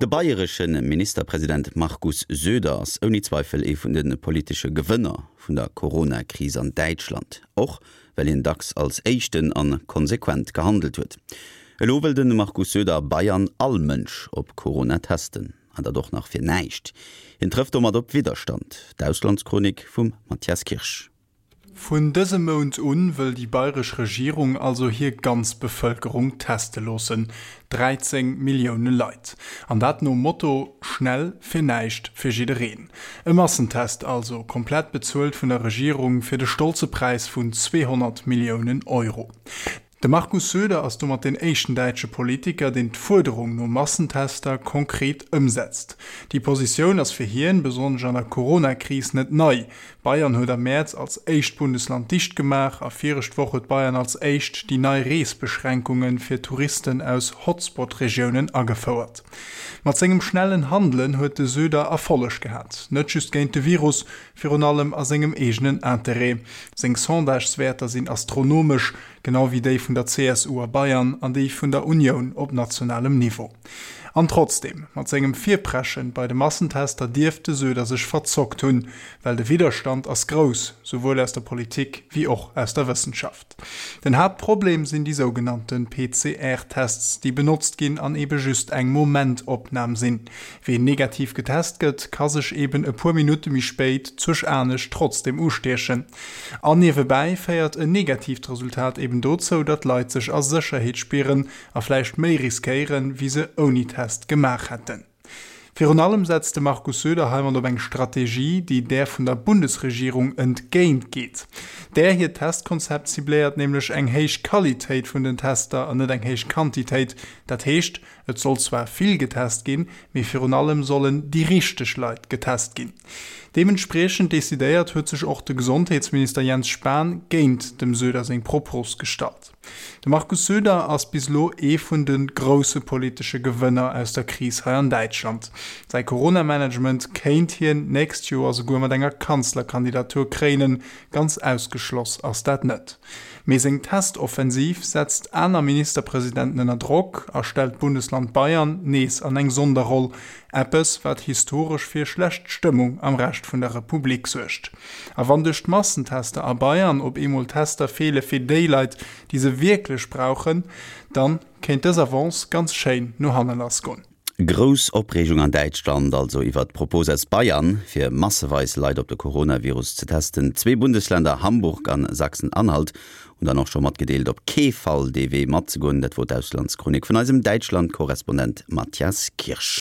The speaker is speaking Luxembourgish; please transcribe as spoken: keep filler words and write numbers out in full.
De bayresche Ministerpresident Markus Söder ass ouni Zweifel ee vun de politesche Gewënner vun der Corona-Kris an Däitschland. Och well hien dacks als éischten a konsequent gehandelt huet. Elo wëll de Markus Söder a Bayern all Mënsch op Corona testen. An dat och nach fir näischt. Hien trëfft domat op Widderstand. D'Auslandschronik vum Mathias Kirsch. Vun dësem Mount un wëll déi bayresch Regierung also hir ganz Bevëlkerung teste loossen, dräizéng Millioune Leit. An dat nom Motto Schnell fir näischt fir jiddereen. E Massentest also, komplett bezuelt vun der Regierung fir de stolze Präis vun zweehonnert Milliounen Euro. De Markus Söder ass domat deen éischten däitsche Politiker, deen d'Fuerderung no Massentester konkret ëmsetzt. Déi Positioun ass fir hien, besonnesch an der Corona-Kris, net nei. Bayern huet am Mäerz als éischt Bundesland dicht gemaach a virescht Woch huet Bayern als éischt déi nei Reesbeschränkunge fir Touristen aus Hotspot-Regiounen agefouert. Mat sengem schnellen Handelen huet de Söder Erfolleg gehat, net just géint de Virus, virun allem a sengem eegenen Interêt. Seng Sondageswäerter sinn astronomesch, genau wéi déi vun der C S U a Bayern an déi vun der Unioun op nationalem Niveau. An trotzdeem, mat sengem Virpreschen bei de Massentester dierft de Söder sech verzockt hunn, well de Widderstand ass grouss, souwuel aus der Politik wéi och aus der Wëssenschaft. Den Haaptproblem sinn déi sougenannte P C R Tests, déi benotzt ginn an ebe just eng Momentopnam sinn. Ween negativ getest gëtt, ka sech eben e puer Minutte méi spéit zwësch anescht trotzdeem ustiechen. An niewebäi féiert en negatiivt Resultat eben dozou, datt Leit sech a Sécherheet spieren a vläicht méi riskéieren, wéi se ouni Test gemaach hätten. Virun allem setzt de Markus Söder heimat op eng Strategie, déi där vun der Bundesregierung entgéint geet. Där hiert Testkonzept cibléiert nämlech eng héich Qualitéit vun den Tester an net eng héich Quantitéit. Dat heescht, et soll zwar vill getest ginn, mee virun allem sollen déi richteg Leit getest ginn. Deementspriechend decidéiert huet sech och de Gesondheetsminister Jens Spahn géint dem Söder seng Propos gestallt. De Markus Söder ass bis elo ee vun de grousse politesche Gewënner aus der Kris hei an Däitschland. Säi Corona-Management kéint hien nächst Joer souguer mat enger Kanzlerkandidatur kréinen, ganz ausgeschloss ass dat net. Mee seng Testoffensiv setzt aner Ministerpresidenten ënner Drock a stellt d'Bundesland Bayern nees an eng Sonderroll, eppes wat historesch fir schlecht Stëmmung am Rescht vun der Republik suergt. A wann duerch d'Massentester a Bayern op eemol Tester feele fir déi Leit, déi se wierklech brauchen, dann kéint dës Avance ganz schéin no hanne lassgoen. Grouss Opreegung an Däitschland also iwwer d'Propos aus Bayern, fir masseweis Leit op de Coronavirus ze testen. Zwee Bundesländer, Hamburg an Sachsen-Anhalt, hunn dann och scho matgedeelt, op kee Fall dee Wee matzegoen. Dat wor d'Auslandschronik vun eisem Däitschland-Korrespondent Mathias Kirsch.